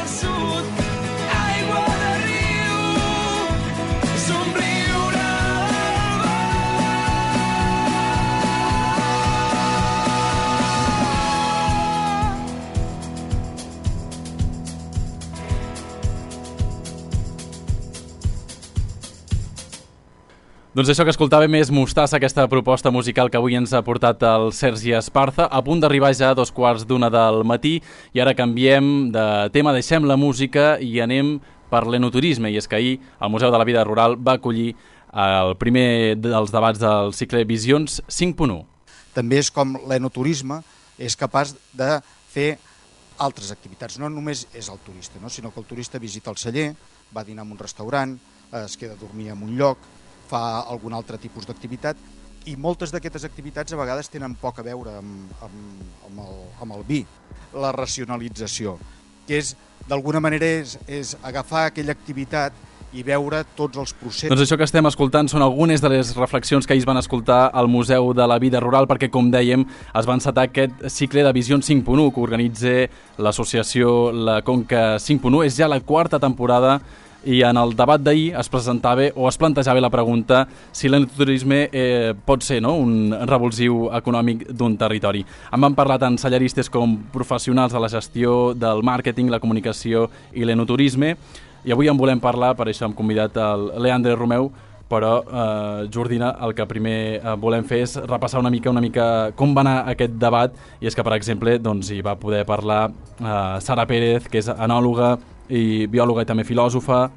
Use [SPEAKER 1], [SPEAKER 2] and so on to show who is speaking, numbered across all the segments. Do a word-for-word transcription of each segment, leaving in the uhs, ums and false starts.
[SPEAKER 1] del sud, aigua de riu, somriure del mar.
[SPEAKER 2] Doncs això que escoltàvem és Mostassa, aquesta proposta musical que avui ens ha portat el Sergi Esparza, a punt d'arribar ja a dos quarts d'una del matí, i ara canviem de tema, deixem la música i anem per l'enoturisme, i és que ahir el Museu de la Vida Rural va acollir el primer dels debats del cicle Visions cinc punt u.
[SPEAKER 3] També és com l'enoturisme és capaç de fer altres activitats, no només és el turista, no? Sinó que el turista visita el celler, va a dinar en un restaurant, es queda a dormir en un lloc, fa algun altre tipus d'activitat, i moltes d'aquestes activitats a vegades tenen poc a veure amb, amb, amb, el, amb el vi. La racionalització, que és d'alguna manera és, és agafar aquella activitat i veure tots els processos.
[SPEAKER 2] Doncs això que estem escoltant són algunes de les reflexions que ahir es van escoltar al Museu de la Vida Rural, perquè, com dèiem, es va encetar aquest cicle de Visions cinc punt u que organitza l'associació La Conca cinc punt u. És ja la quarta temporada, i en el debat d'ahir es presentava o es plantejava la pregunta si l'enoturisme eh, pot ser, no?, un revulsiu econòmic d'un territori. En van parlar tant cellaristes com professionals de la gestió del màrqueting, la comunicació i l'enoturisme, i avui en volem parlar, per això hem convidat el Leandre Romeu, però eh, Jordina, el que primer eh, volem fer és repassar una mica una mica com va anar aquest debat, i és que, per exemple, doncs, hi va poder parlar eh, Sara Pérez, que és enòloga i biòloga i també filòsofa,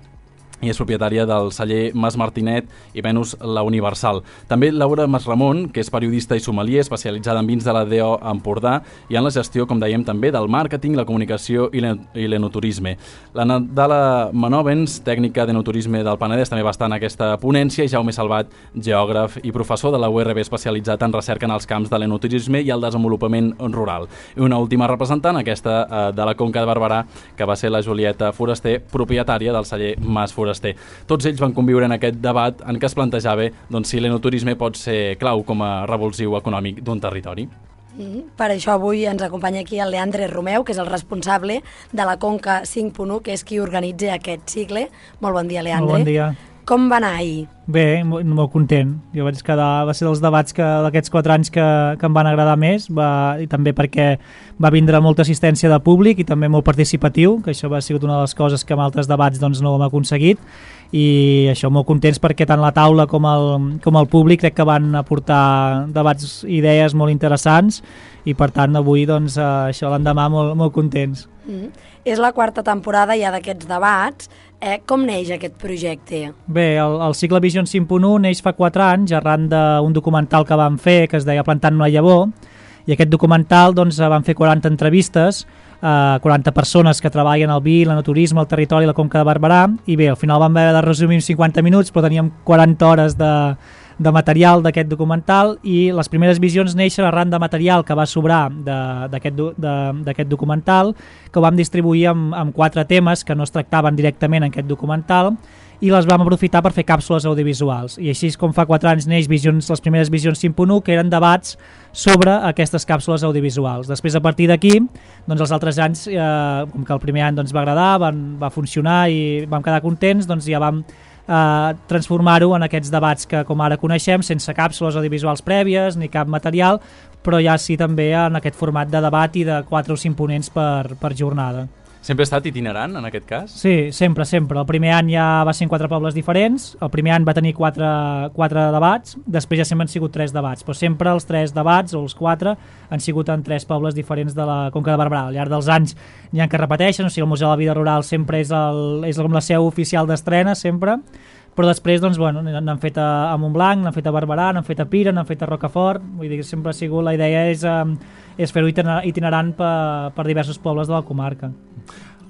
[SPEAKER 2] i és propietària del celler Mas Martinet i Venus La Universal. També Laura Masramon, que és periodista i sommelier, especialitzada en vins de la D O Empordà i en la gestió, com dèiem, també del màrqueting, la comunicació i l'enoturisme. La Nadala Manovens, tècnica d'enoturisme del Penedès, també va estar en aquesta ponència, i Jaume Salvat, geògraf i professor de la U R B especialitzat en recerca en els camps de l'enoturisme i el desenvolupament rural. I una última representant, aquesta eh, de la Conca de Barberà, que va ser la Julieta Foraster, propietària del celler Mas Foraster. Tots ells van conviure en aquest debat en què es plantejava doncs, si l'enoturisme pot ser clau com a revulsiu econòmic d'un territori.
[SPEAKER 4] Mm, per això avui ens acompanya aquí el Leandre Romeu, que és el responsable de la Conca cinc punt u, que és qui organitza aquest cicle. Molt bon dia, Leandre.
[SPEAKER 5] Molt bon dia.
[SPEAKER 4] Com va anar ahir?
[SPEAKER 5] Bé, molt, molt content. Jo vaig quedar, va ser dels debats que d'aquests quatre anys que, que em van agradar més, va, i també perquè va vindre molta assistència de públic i també molt participatiu, que això va sigut una de les coses que en altres debats doncs, no ho hem aconseguit, i això, molt contents perquè tant la taula com el, com el públic crec que van aportar debats, idees molt interessants, i per tant avui doncs, això l'endemà molt, molt contents.
[SPEAKER 4] Mm. És la quarta temporada ja d'aquests debats. Eh, com neix aquest projecte?
[SPEAKER 5] Bé, el, el cicle Visions cinc punt u neix fa quatre anys arran d'un documental que vam fer que es deia Plantant una llavor, i aquest documental doncs, van fer quaranta entrevistes, eh, quaranta persones que treballen al vi, l'enoturisme, el territori i la Conca de Barberà, i bé, al final vam haver de resumir en cinquanta minuts, però teníem quaranta hores de, de material d'aquest documental, i les primeres visions neixen arran de material que va sobrar d'aquest documental, que ho vam distribuir amb, amb quatre temes que no es tractaven directament en aquest documental, i les vam aprofitar per fer càpsules audiovisuals. I així és com fa quatre anys neix visions, les primeres Visions cinc punt u, que eren debats sobre aquestes càpsules audiovisuals. Després, a partir d'aquí, doncs els altres anys, eh, com que el primer any doncs, va agradar, van, va funcionar i vam quedar contents, doncs ja vam eh, transformar-ho en aquests debats que com ara coneixem, sense càpsules audiovisuals prèvies ni cap material, però ja sí també en aquest format de debat i de quatre o cinc ponents per, per jornada.
[SPEAKER 2] Sempre ha estat itinerant, en aquest cas?
[SPEAKER 5] Sí, sempre, sempre. El primer any ja va ser en quatre pobles diferents, el primer any va tenir quatre, quatre debats, després ja sempre han sigut tres debats, però sempre els tres debats, o els quatre, han sigut en tres pobles diferents de la Conca de Barberà. Al llarg dels anys n'hi ha que repeteixen, o sigui, el Museu de la Vida Rural sempre és, el, és com la seu oficial d'estrena, sempre, però després doncs, bueno, n'han fet a, a Montblanc, n'han fet a Barberà, n'han fet a Pira, n'han fet a Rocafort, vull dir que sempre ha sigut, la idea és, eh, és fer-ho itinerant per, per diversos pobles de la comarca.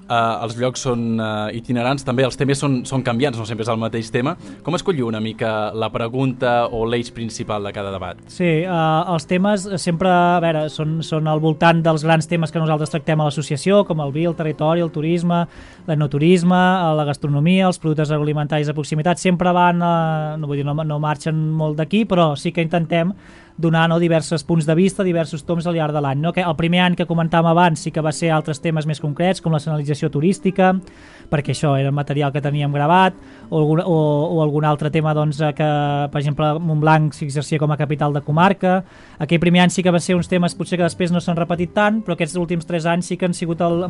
[SPEAKER 2] Uh, els llocs són uh, itinerants, també els temes són, són canviants, no sempre és el mateix tema. Com escolliu una mica la pregunta o l'eix principal de cada debat?
[SPEAKER 5] Sí, uh, els temes sempre, a veure, són, són al voltant dels grans temes que nosaltres tractem a l'associació, com el vi, el territori, el turisme, l'enoturisme, la gastronomia, els productes agroalimentaris de proximitat. Sempre van, uh, no vull dir, no, no marxen molt d'aquí, però sí que intentem donar, no, diversos punts de vista, diversos toms al llarg de l'any. No? Que el primer any que comentàvem abans sí que va ser altres temes més concrets, com la senyalització turística, perquè això era el material que teníem gravat, o algun, o, o algun altre tema doncs, que, per exemple, Montblanc s'exercia com a capital de comarca. Aquell primer any sí que va ser uns temes potser que després no s'han repetit tant, però aquests últims tres anys sí que han sigut al,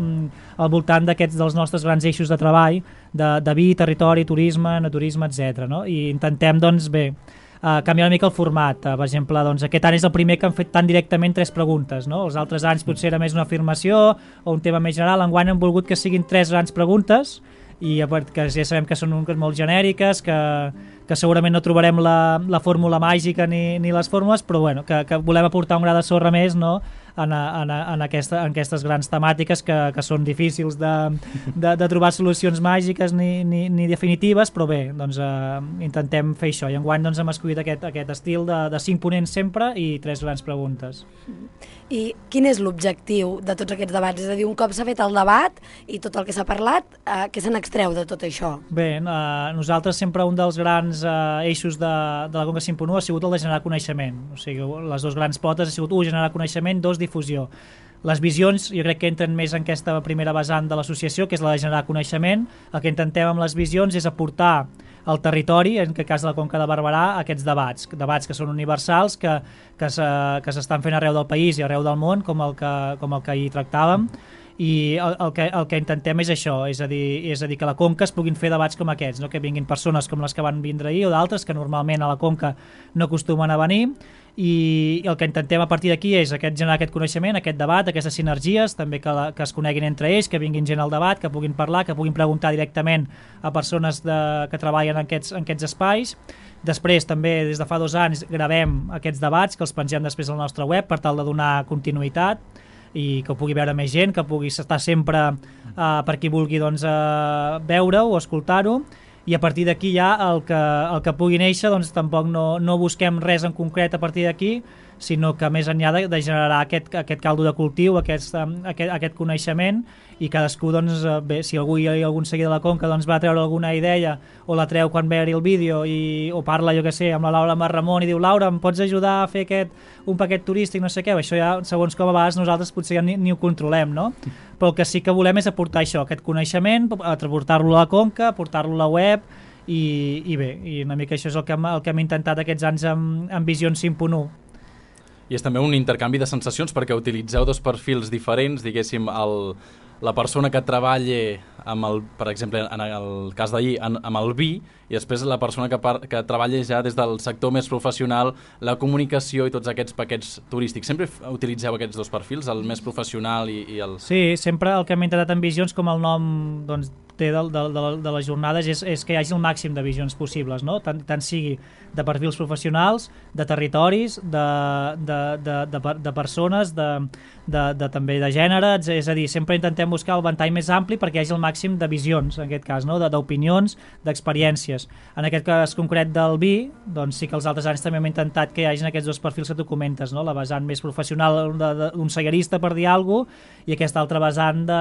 [SPEAKER 5] al voltant d'aquests dels nostres grans eixos de treball, de, de vi, territori, turisme, naturisme, etcètera. No? I intentem, doncs, bé, Uh, canviar una mica el format. Uh, per exemple, doncs, aquest any és el primer que han fet tan directament tres preguntes. No? Els altres anys potser era més una afirmació o un tema més general. Enguany hem volgut que siguin tres grans preguntes i que ja sabem que són molt genèriques, que, que segurament no trobarem la, la fórmula màgica ni, ni les fórmules, però bueno, que, que volem aportar un gra de sorra més, no? en, en, en, aquesta, en aquestes grans temàtiques que, que són difícils de, de, de trobar solucions màgiques ni, ni, ni definitives, però bé, doncs, eh, intentem fer això. I enguany doncs, hem escollit aquest, aquest estil de, de cinc ponents sempre i tres grans preguntes.
[SPEAKER 4] I quin és l'objectiu de tots aquests debats? És a dir, un cop s'ha fet el debat i tot el que s'ha parlat, eh, què se n'extreu de tot això?
[SPEAKER 5] Bé, eh, nosaltres sempre un dels grans eh, eixos de, de la Conca cinc punt u ha sigut el de generar coneixement. O sigui, les dues grans potes ha sigut, un, generar coneixement, dos, difusió. Les visions jo crec que entren més en aquesta primera vessant de l'associació, que és la de generar coneixement. El que intentem amb les visions és aportar al territori, en aquest cas de la Conca de Barberà, aquests debats, debats que són universals, que, que s'estan fent arreu del país i arreu del món, com el que, com el que ahir tractàvem, i el, el, que, el que intentem és això, és a dir, és a dir que a la Conca es puguin fer debats com aquests, no? Que vinguin persones com les que van vindre ahir o d'altres que normalment a la Conca no acostumen a venir, i el que intentem a partir d'aquí és aquest, generar aquest coneixement, aquest debat, aquestes sinergies, també que, la, que es coneguin entre ells, que vinguin gent al debat, que puguin parlar, que puguin preguntar directament a persones de, que treballen en aquests, en aquests espais. Després també des de fa dos anys gravem aquests debats que els pengem després al nostre web per tal de donar continuïtat i que ho pugui veure més gent, que pugui estar sempre eh, per qui vulgui doncs, eh, veure-ho o escoltar-ho. I a partir d'aquí ja el que, el que pugui néixer doncs tampoc no, no busquem res en concret a partir d'aquí, sinó que més enllà de, de generar aquest, aquest caldo de cultiu, aquest, aquest, aquest coneixement, i cadascú, doncs, bé, si algú hi ha algun seguidor de la Conca doncs, va treure alguna idea o la treu quan veure el vídeo i, o parla, jo que sé, amb la Laura Marramon i diu, Laura, em pots ajudar a fer aquest, un paquet turístic, no sé què, això ja, segons com a vegades nosaltres potser ja ni, ni ho controlem, no? Però el que sí que volem és aportar això, aquest coneixement, aportar-lo a la Conca, aportar-lo a la web, i, i bé, i una mica això és el que hem, el que hem intentat aquests anys amb, amb Visions cinc punt u.
[SPEAKER 2] I és també un intercanvi de sensacions perquè utilitzeu dos perfils diferents, diguéssim, el, la persona que treballa amb el, per exemple, en el cas d'ahir, amb el vi, i després la persona que, par, que treballa ja des del sector més professional, la comunicació i tots aquests paquets turístics. Sempre utilitzeu aquests dos perfils, el més professional i, i el...
[SPEAKER 5] Sí, sempre el que hem intentat en Visions, com el nom doncs, té de, de, de, de les jornades, és, és que hi hagi el màxim de visions possibles, no? tant, tant sigui de perfils professionals, de territoris, de, de, de, de, de persones, de, de, de, també de gènere, és a dir, sempre intentem buscar el ventall més ampli perquè hi hagi el màxim de visions, en aquest cas, no? d'opinions, d'experiències. En aquest cas concret del vi, doncs sí que els altres anys també hem intentat que hi hagin aquests dos perfils que tu comentes, no? La vessant més professional d'un seguerista, per dir alguna cosa, i aquesta altra vessant de,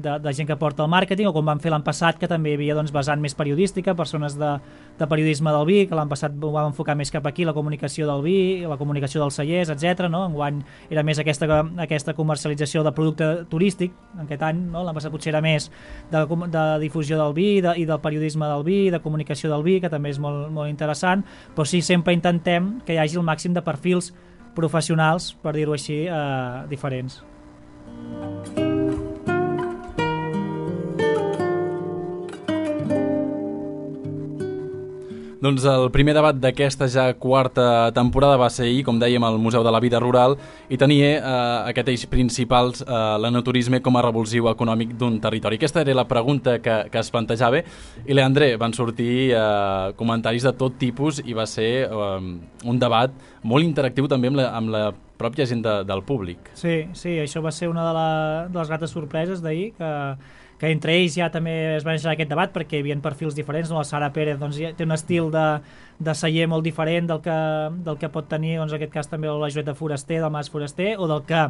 [SPEAKER 5] de, de gent que porta el màrqueting, o com vam fer l'any passat, que també hi havia doncs, vessant més periodística, persones de, de periodisme del vi, que l'any passat ho vam enfocar més cap aquí, la comunicació del vi, la comunicació dels cellers, etcètera. No? Enguany era més aquesta, aquesta comercialització de producte turístic, en aquest any, no? L'any passat potser era més de, de difusió del vi de, i del periodisme del vi, de comunicació del vi, que també és molt, molt interessant, però sí, sempre intentem que hi hagi el màxim de perfils professionals, per dir-ho així, eh, diferents.
[SPEAKER 2] Doncs el primer debat d'aquesta ja quarta temporada va ser ahir, com dèiem, al Museu de la Vida Rural, i tenia eh, aquest eix principal, eh, l'enoturisme com a revulsiu econòmic d'un territori. Aquesta era la pregunta que, que es plantejava, i Leandre, van sortir eh, comentaris de tot tipus i va ser eh, un debat molt interactiu també amb la, amb la pròpia gent de, del públic.
[SPEAKER 5] Sí, sí, això va ser una de, la, de les grates sorpreses d'ahir, que que entre ells ja també es va deixar aquest debat perquè hi havia perfils diferents, no? La Sara Pérez doncs, ja té un estil de, de celler molt diferent del que, del que pot tenir, doncs, en aquest cas també la Joeta Foraster, del Mas Foraster, o del que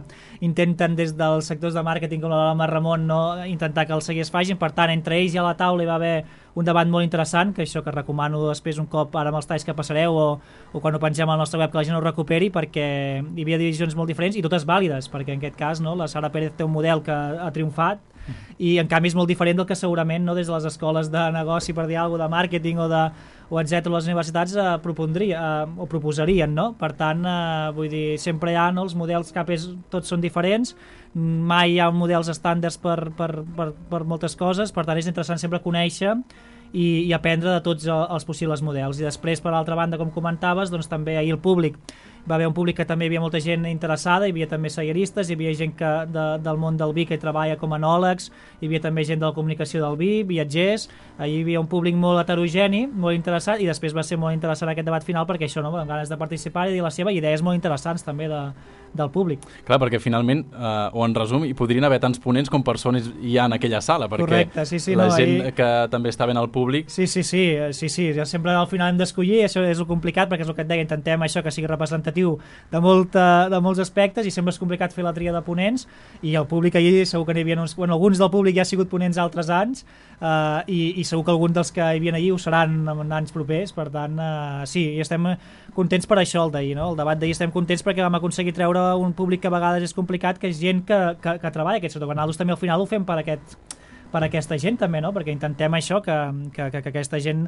[SPEAKER 5] intenten des dels sectors de màrqueting com la Mar Ramon, no? Intentar que els cellers facin. Per tant, entre ells ja a la taula hi va haver un debat molt interessant, que això que recomano després un cop ara amb els talls que passareu o, o quan ho pengem al nostre web que la gent ho recuperi, perquè hi havia divisions molt diferents i totes vàlides, perquè en aquest cas no, la Sara Pérez té un model que ha triomfat i en canvi és molt diferent del que segurament no, des de les escoles de negoci, per dir alguna cosa, de màrqueting o, de, o etcètera, les universitats eh, propondria, eh, o proposarien, no? Per tant, eh, vull dir, sempre hi ha no, els models cap és, tots són diferents, mai hi ha models estàndards per, per, per, per moltes coses, per tant és interessant sempre conèixer i, i aprendre de tots els possibles models. I després, per altra banda, com comentaves, doncs també ahir el públic va haver un públic que també hi havia molta gent interessada, hi havia també selleristes, hi havia gent que, de, del món del vi que hi treballa com a enòlegs, hi havia també gent de la comunicació del vi, viatgers, hi havia un públic molt heterogeni, molt interessat, i després va ser molt interessant aquest debat final perquè això, no, amb ganes de participar i dir la seva, idees molt interessants també de, del públic.
[SPEAKER 2] Clar, perquè finalment, eh, o en resum, hi podrien haver tants ponents com persones hi ha en aquella sala, perquè
[SPEAKER 5] correcte, sí, sí,
[SPEAKER 2] la
[SPEAKER 5] no,
[SPEAKER 2] gent
[SPEAKER 5] ahir...
[SPEAKER 2] que també està ben al públic...
[SPEAKER 5] Sí, sí, sí, sí, sí, ja sempre al final hem d'escollir, això és el complicat, perquè és el que et deia, intentem això que sigui representatiu de, molta, de molts aspectes i sempre és complicat fer la tria de ponents i el públic ahir segur que n'hi havia uns... Bueno, alguns del públic ja han sigut ponents altres anys eh, i, i segur que alguns dels que hi havien ahir ho seran en anys propers, per tant, eh, sí, i estem contents per això el d'ahir, no? El debat d'ahir estem contents perquè vam aconseguir treure un públic que a vegades és complicat, que és gent que, que, que treballa aquest sector. Nosaltres també al final ho fem per aquest per aquesta gent també, no? Perquè intentem això, que, que, que aquesta gent,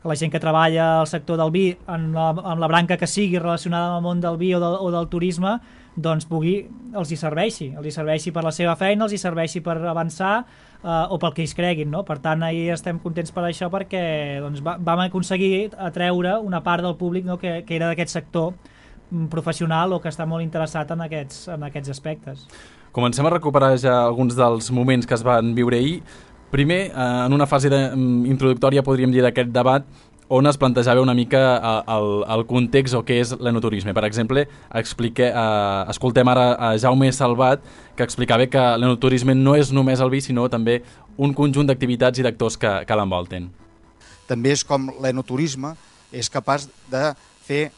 [SPEAKER 5] la gent que treballa al sector del vi, en la, en la branca que sigui relacionada amb el món del vi o del, o del turisme, doncs pugui, els hi serveixi, els hi serveixi per la seva feina, els hi serveixi per avançar eh, o pel que ells creguin, no? Per tant, ahir estem contents per això perquè doncs, va, vam aconseguir atreure una part del públic, no? que, que era d'aquest sector professional o que està molt interessat en aquests, en aquests aspectes.
[SPEAKER 2] Comencem a recuperar ja alguns dels moments que es van viure ahir. Primer, eh, en una fase de, um, introductòria, podríem dir, d'aquest debat, on es plantejava una mica el, el context o què és l'enoturisme. Per exemple, explique, eh, escoltem ara a Jaume Salvat, que explicava que l'enoturisme no és només el vi, sinó també un conjunt d'activitats i d'actors que, que l'envolten.
[SPEAKER 3] També és com l'enoturisme és capaç de fer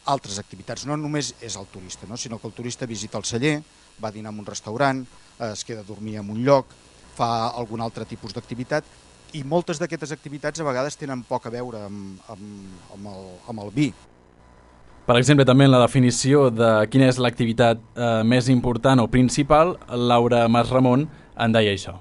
[SPEAKER 3] altres activitats. No només és el turista, no? Sinó que el turista visita el celler, va dinar en un restaurant, es queda a dormir en un lloc, fa algun altre tipus d'activitat i moltes d'aquestes activitats a vegades tenen poc a veure amb, amb, amb, el, amb el vi.
[SPEAKER 2] Per exemple, també en la definició de quina és l'activitat eh, més important o principal, Laura Mas Ramon en deia això.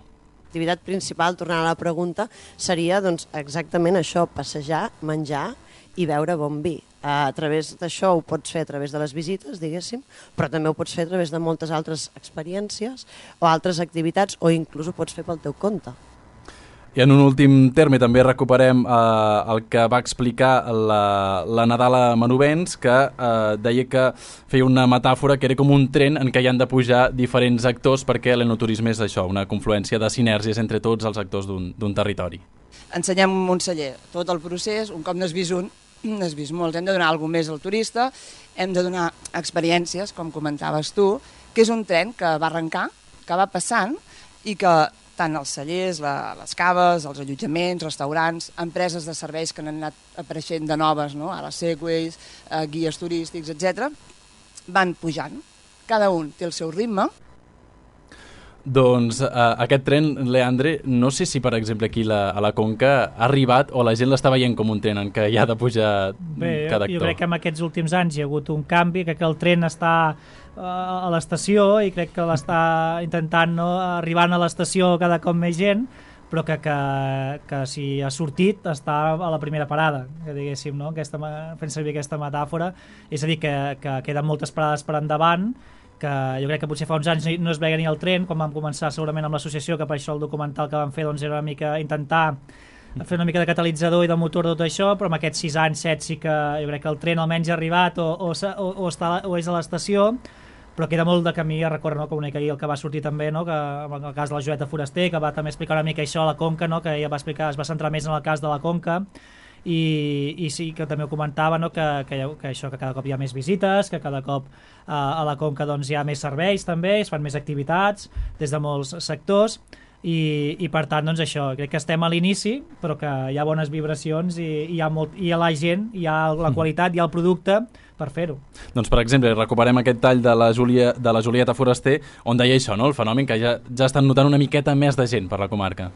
[SPEAKER 6] L'activitat principal, tornant a la pregunta, seria doncs, exactament això, passejar, menjar i beure bon vi. A través d'això ho pots fer a través de les visites, diguéssim, però també ho pots fer a través de moltes altres experiències o altres activitats o inclús ho pots fer pel teu compte.
[SPEAKER 2] I en un últim terme també recuperem eh, el que va explicar la, la Nadala Manovens, que eh, deia que feia una metàfora que era com un tren en què hi han de pujar diferents actors perquè l'enoturisme és això, una confluència de sinergies entre tots els actors d'un territori.
[SPEAKER 7] Ensenyem un celler tot el procés, un cop n'has vist un, n'has vist molts, hem de donar alguna més al turista, hem de donar experiències, com comentaves tu, que és un tren que va arrencar, que va passant i que tant els cellers, la, les caves, els allotjaments, restaurants, empreses de serveis que han anat apareixent de noves, no? Ara Segways, eh, guies turístics, etcètera, van pujant. Cada un té el seu ritme.
[SPEAKER 2] Doncs eh, aquest tren, Leandre, no sé si per exemple aquí la, a la Conca ha arribat o la gent l'està veient com un tren en què hi ha de pujar
[SPEAKER 5] Bé,
[SPEAKER 2] cada actor.
[SPEAKER 5] Jo crec que en aquests últims anys hi ha hagut un canvi, crec que el tren està uh, a l'estació i crec que l'està intentant no, arribant a l'estació cada cop més gent, però que, que, que si ha sortit està a la primera parada, que diguéssim, no? Aquesta, fent servir aquesta metàfora, és a dir, que, que queden moltes parades per endavant, que jo crec que potser fa uns anys no es veia ni el tren, quan vam començar segurament amb l'associació, que per això el documental que vam fer doncs, era una mica intentar fer una mica de catalitzador i de motor de tot això, però amb aquests sis anys, set, sí que jo crec que el tren almenys ha arribat o, o, o, o, està, o és a l'estació, però queda molt de camí a recórrer, no? Com una mica ahir el que va sortir també, no? Que, en el cas de la Joeta Foraster, que va també explicar una mica això a la Conca, no? Que ella va explicar, es va centrar més en el cas de la Conca, i, i sí que també ho comentava, no? que, que, que això, que cada cop hi ha més visites, que cada cop eh, a la Conca doncs, hi ha més serveis també, es fan més activitats des de molts sectors i, i per tant doncs això, crec que estem a l'inici però que hi ha bones vibracions i, i, hi ha molt, i hi ha la gent, hi ha la qualitat, hi ha el producte per fer-ho.
[SPEAKER 2] Doncs per exemple, recuperem aquest tall de la, Júlia, de la Julieta Foraster on deia això, no? El fenomen que ja, ja estan notant una miqueta més de gent per la comarca.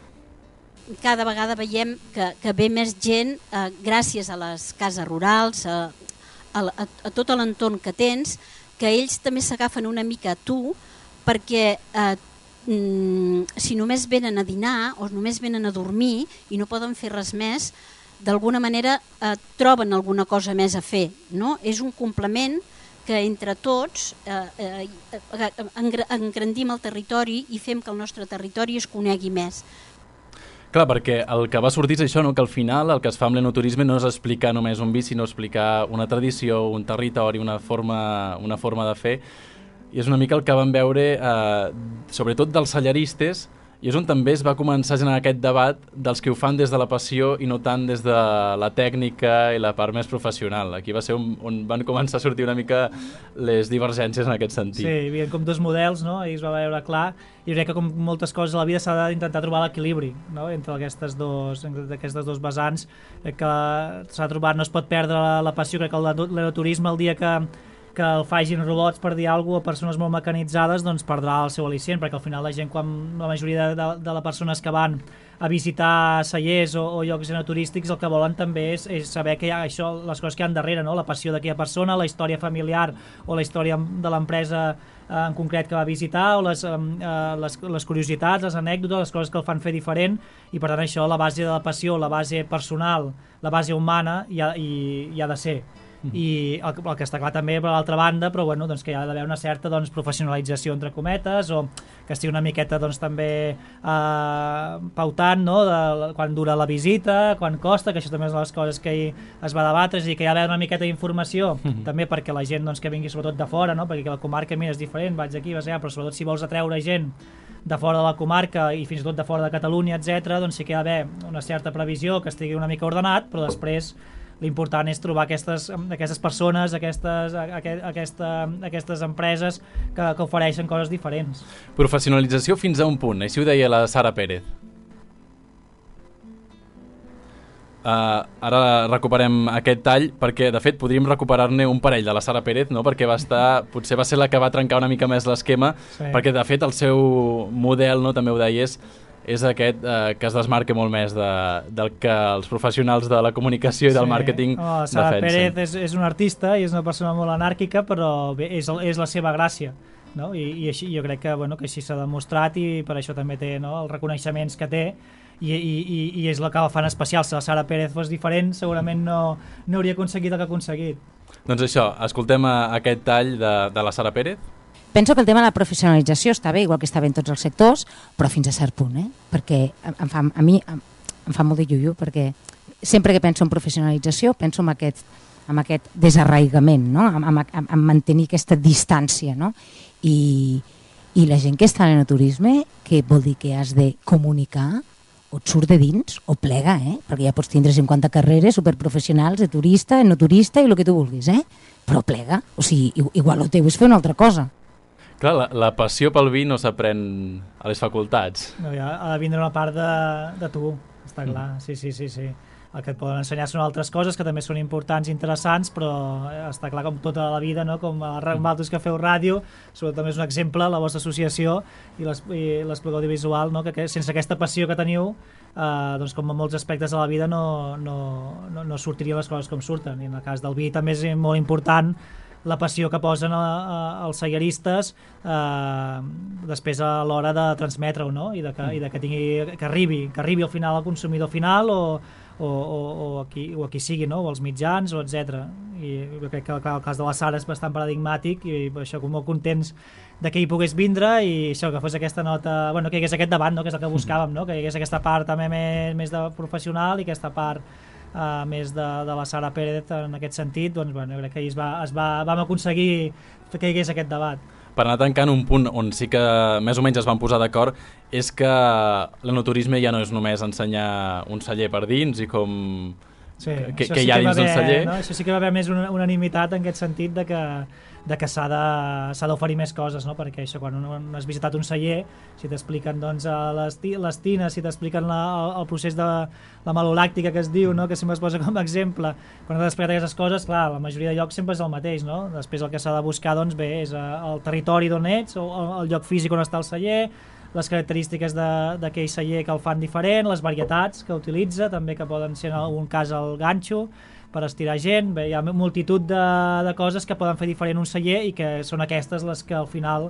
[SPEAKER 8] cada vegada veiem que, que ve més gent eh, gràcies a les cases rurals, a, a, a, a tot l'entorn que tens, que ells també s'agafen una mica a tu perquè eh, mm, si només venen a dinar o només venen a dormir i no poden fer res més, d'alguna manera eh, troben alguna cosa més a fer, no? És un complement que entre tots eh, eh, engrandim el territori i fem que el nostre territori es conegui més.
[SPEAKER 2] Clar, perquè el que va sortir és això, no? Que al final el que es fa amb l'enoturisme no és explicar només un vi, sinó explicar una tradició, un territori, una forma, una forma de fer. I és una mica el que vam veure, eh, sobretot dels cellaristes, i és on també es va començar a generar aquest debat dels que ho fan des de la passió i no tant des de la tècnica i la part més professional. Aquí va ser on, on van començar a sortir una mica les divergències en aquest sentit.
[SPEAKER 5] Sí, hi havia com dos models, no? I es va veure clar. I crec que com moltes coses a la vida s'ha d'intentar trobar l'equilibri, no? Entre aquestes dos, aquestes dos vessants. Crec que s'ha trobat, no es pot perdre la, la passió. Crec que l'enoturisme el dia que que el facin robots, per dir alguna cosa, o persones molt mecanitzades, doncs perdrà el seu al·licient, perquè al final la gent, quan la majoria de, de, de les persones que van a visitar cellers o, o llocs enoturístics, el que volen també és, és saber que hi ha això, les coses que hi ha darrere, no? La passió d'aquella persona, la història familiar o la història de l'empresa eh, en concret que va visitar, o les, eh, les, les curiositats, les anècdotes, les coses que el fan fer diferent, i per tant això, la base de la passió, la base personal, la base humana, hi ha, hi, hi ha de ser. I el, el que està clar també per l'altra banda, però bueno, doncs que hi ha d'haver una certa doncs, professionalització entre cometes, o que estigui una miqueta doncs, també eh, pautant, no? De, quan dura la visita, quan costa, que això també és una de les coses que hi es va debatre, és a dir, que hi ha d'haver una miqueta d'informació mm-hmm. també perquè la gent doncs, que vingui sobretot de fora, no? Perquè la comarca mira, és diferent, vaig aquí, vas allà, però sobretot si vols atreure gent de fora de la comarca i fins i tot de fora de Catalunya, etcètera, doncs sí que hi ha d'haver una certa previsió que estigui una mica ordenat, però després l'important és trobar aquestes, aquestes persones, aquestes, aquesta, aquestes empreses que, que ofereixen coses diferents.
[SPEAKER 2] Professionalització fins a un punt, així ho deia la Sara Pérez. Uh, ara recuperem aquest tall perquè de fet podríem recuperar-ne un parell de la Sara Pérez, no? Perquè va estar, potser va ser la que va trencar una mica més l'esquema, sí. Perquè de fet el seu model, no? També ho deies, és aquest eh, que es desmarca molt més de, del que els professionals de la comunicació i del sí. màrqueting oh,
[SPEAKER 5] Sara
[SPEAKER 2] defensen.
[SPEAKER 5] Pérez és, és una artista i és una persona molt anàrquica, però bé, és, és la seva gràcia, no? I, i així, jo crec que, bueno, que així s'ha demostrat i per això també té, no? Els reconeixements que té i, i, i, i és el que la fan especial. Si la Sara Pérez fos diferent segurament no, no hauria aconseguit el que ha aconseguit.
[SPEAKER 2] Doncs això, escoltem aquest tall de, de la Sara Pérez.
[SPEAKER 9] Penso que el tema de la professionalització està bé, igual que està bé en tots els sectors, però fins a cert punt, eh? Perquè em fa, a mi em, em fa molt de iuiu, perquè sempre que penso en professionalització penso en aquest, en aquest desarraigament, no? en, en, en mantenir aquesta distància. No? I, I la gent que està en el turisme, que vol dir que has de comunicar, o et surt de dins o plega, eh? Perquè ja pots tindre cinquanta carreres superprofessionals de turista, no turista i el que tu vulguis, eh? Però plega, o sigui, igual el teu és fer una altra cosa.
[SPEAKER 2] Clar, la, la passió pel vi no s'aprèn a les facultats.
[SPEAKER 5] No, ja ha de vindre una part de, de tu, està clar, mm. sí, sí, sí, sí. El que et poden ensenyar són altres coses que també són importants i interessants, però està clar com tota la vida, no? Com vosaltres que feu ràdio, sobretot també és un exemple, la vostra associació i l'Espluga Audiovisual, no? Que, que sense aquesta passió que teniu, eh, doncs com en molts aspectes de la vida no, no, no, no sortirien les coses com surten. I en el cas del vi també és molt important la passió que posen a, a, els cellaristes eh, després a l'hora de transmetre-ho, no? I de que, i de que, tingui, que, arribi, que arribi al final al consumidor final o, o, o, o, a, qui, o a qui sigui, no? O als mitjans, o etcètera. I jo crec que clar, el cas de la Sara és bastant paradigmàtic i per això com molt contents de que hi pogués vindre i això, que fos aquesta nota, bueno, que hi hagués aquest debat, no? Que és el que buscàvem, no? Que hi hagués aquesta part també més, més de professional i aquesta part Uh, més de, de la Sara Pérez en aquest sentit, doncs bueno, crec que es va, es va, vam aconseguir que hi hagués aquest debat.
[SPEAKER 2] Per anar tancant un punt on sí que més o menys es van posar d'acord és que l'enoturisme ja no és només ensenyar un celler per dins i com
[SPEAKER 5] sí,
[SPEAKER 2] que, que
[SPEAKER 5] sí
[SPEAKER 2] hi ha dins
[SPEAKER 5] haver,
[SPEAKER 2] del celler.
[SPEAKER 5] No? Això sí que va haver més una unanimitat en aquest sentit de que de que s'ha d'oferir més coses, no? Perquè això, quan un has visitat un celler, si t'expliquen doncs, les, les tines, si t'expliquen la, el, el procés de la malolàctica que es diu, no? Que sempre es posa com a exemple, quan has explicat aquestes coses, clar, la majoria de llocs sempre és el mateix, no? Després el que s'ha de buscar, doncs bé, és el territori d'on ets, o el lloc físic on està el celler, les característiques d'aquell celler que el fan diferent, les varietats que utilitza, també que poden ser en algun cas el ganxo, per estirar gent. Bé, hi ha multitud de, de coses que poden fer diferent un celler i que són aquestes les que al final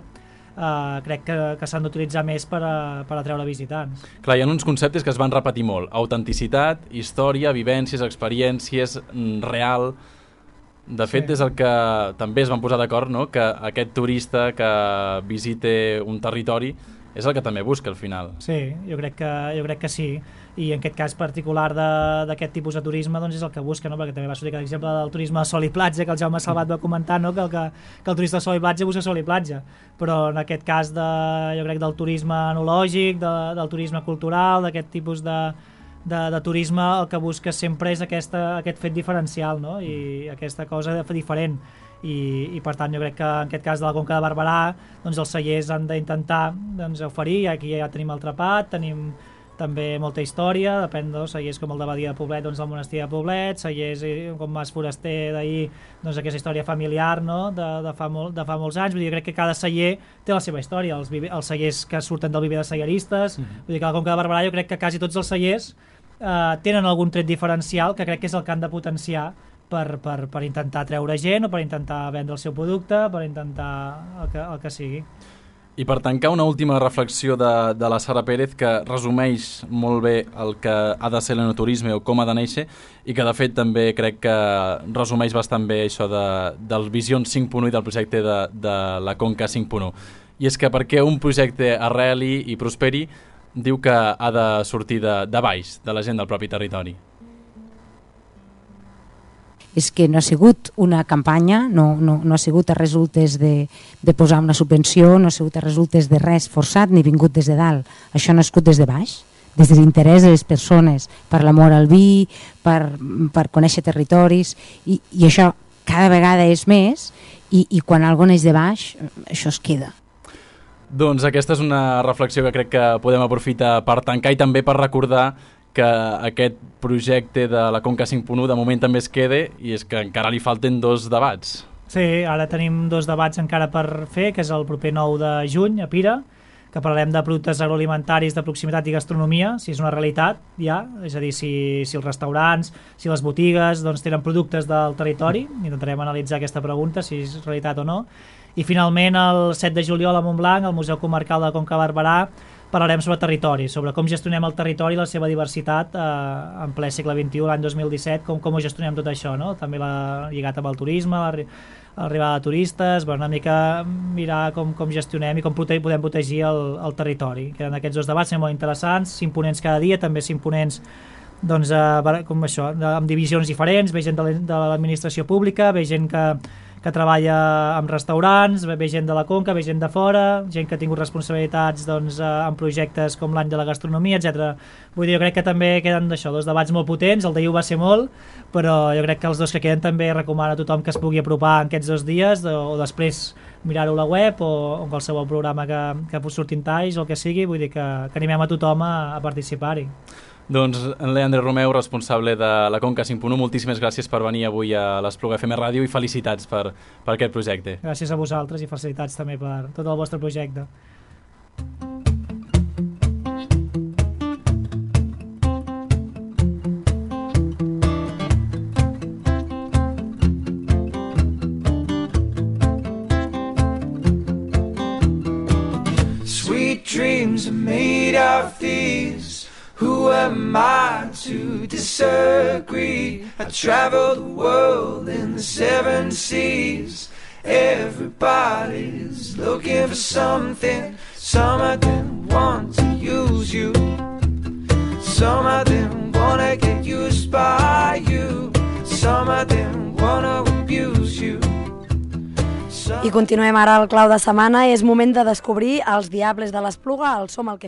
[SPEAKER 5] eh, crec que, que s'han d'utilitzar més per, a, per atreure visitants.
[SPEAKER 2] Clar, hi ha uns conceptes que es van repetir molt. Autenticitat, història, vivències, experiències, real. De fet, sí. És el que també es van posar d'acord, no? Que aquest turista que visite un territori és el que també busca al final.
[SPEAKER 5] Sí, jo crec que, jo crec que sí, i en aquest cas particular d'aquest tipus de turisme doncs és el que busca, no? Perquè també va sortir l'exemple del turisme de sol i platja, que el Jaume Salvat va comentar, no? que, el que, que el turista de sol i platja busca sol i platja, però en aquest cas de, jo crec del turisme enològic, de, del turisme cultural, d'aquest tipus de, de, de turisme, el que busca sempre és aquesta, aquest fet diferencial, no? I aquesta cosa diferent. I, i per tant jo crec que en aquest cas de la Conca de Barberà doncs els cellers han d'intentar doncs, oferir, aquí ja tenim el Trepat, tenim també molta història, depèn dels cellers com el de Badia de Poblet, doncs el monestir de Poblet, cellers com Mas Foraster d'ahir, doncs aquesta història familiar, no? de, de, fa molt, de fa molts anys. Vull dir, jo crec que cada celler té la seva història, els, els cellers que surten del viver de celleristes, mm-hmm. Vull dir que a la Conca de Barberà jo crec que quasi tots els cellers eh, tenen algun tret diferencial que crec que és el que han de potenciar Per, per, per intentar treure gent o per intentar vendre el seu producte, per intentar el que, el que sigui.
[SPEAKER 2] I per tancar, una última reflexió de, de la Sara Pérez que resumeix molt bé el que ha de ser l'enoturisme o com ha de néixer i que de fet també crec que resumeix bastant bé això de, del Vision cinc punt u i del projecte de, de la Conca cinc punt u. I és que perquè un projecte arreli i prosperi diu que ha de sortir de, de baix, de la gent del propi territori.
[SPEAKER 9] És que no ha sigut una campanya, no, no, no ha sigut a resultes de, de posar una subvenció, no ha sigut a resultes de res forçat ni vingut des de dalt. Això no ha nascut des de baix, des de l'interès de les persones, per l'amor al vi, per, per conèixer territoris, i, i això cada vegada és més, i, i quan algo neix de baix, això es queda.
[SPEAKER 2] Doncs aquesta és una reflexió que crec que podem aprofitar per tancar i també per recordar que aquest projecte de la Conca cinc punt u de moment també es quede i és que encara li falten dos debats.
[SPEAKER 5] Sí, ara tenim dos debats encara per fer, que és el proper nou de juny a Pira, que parlarem de productes agroalimentaris de proximitat i gastronomia, si és una realitat ja, és a dir, si, si els restaurants, si les botigues doncs, tenen productes del territori, intentarem analitzar aquesta pregunta, si és realitat o no. I finalment el set de juliol a Montblanc, al Museu Comarcal de Conca Barberà, parlarem sobre territori, sobre com gestionem el territori i la seva diversitat eh, en ple segle vint-i-u, l'any dos mil disset, com, com ho gestionem tot això, no? També la, lligat amb el turisme, l'arribada de turistes, bueno, una mica mirar com, com gestionem i com prote podem protegir el, el territori. Queden aquests dos debats, són molt interessants, cinc ponents cada dia, també cinc ponents doncs, eh, com això, de, amb divisions diferents, ve gent de l'administració pública, ve gent que que treballa amb restaurants, ve gent de la Conca, ve gent de fora, gent que ha tingut responsabilitats doncs, en projectes com l'any de la gastronomia, etcètera. Vull dir, jo crec que també queden d'això, dos debats molt potents, el d'ahir va ser molt, però jo crec que els dos que queden també recomano a tothom que es pugui apropar en aquests dos dies o, o després mirar-ho a la web o, o qualsevol programa que, que surtin talls o el que sigui, vull dir que, que animem a tothom a, a participar-hi.
[SPEAKER 2] Doncs en Leandre Romeu, responsable de la Conca cinc punt u, moltíssimes gràcies per venir avui a l'Espluga F M Ràdio i felicitats per, per aquest projecte.
[SPEAKER 5] Gràcies a vosaltres i felicitats també per tot el vostre projecte.
[SPEAKER 1] Sweet dreams are made of these. Who am I to disagree? I travel the world in the seven seas. Everybody's looking for something. Some of them want to use you. Some of them wanna get used by you. Some of them wanna abuse you.
[SPEAKER 4] I continuem ara al clau de setmana. És moment de descobrir els Diables de l'Espluga, el Som el que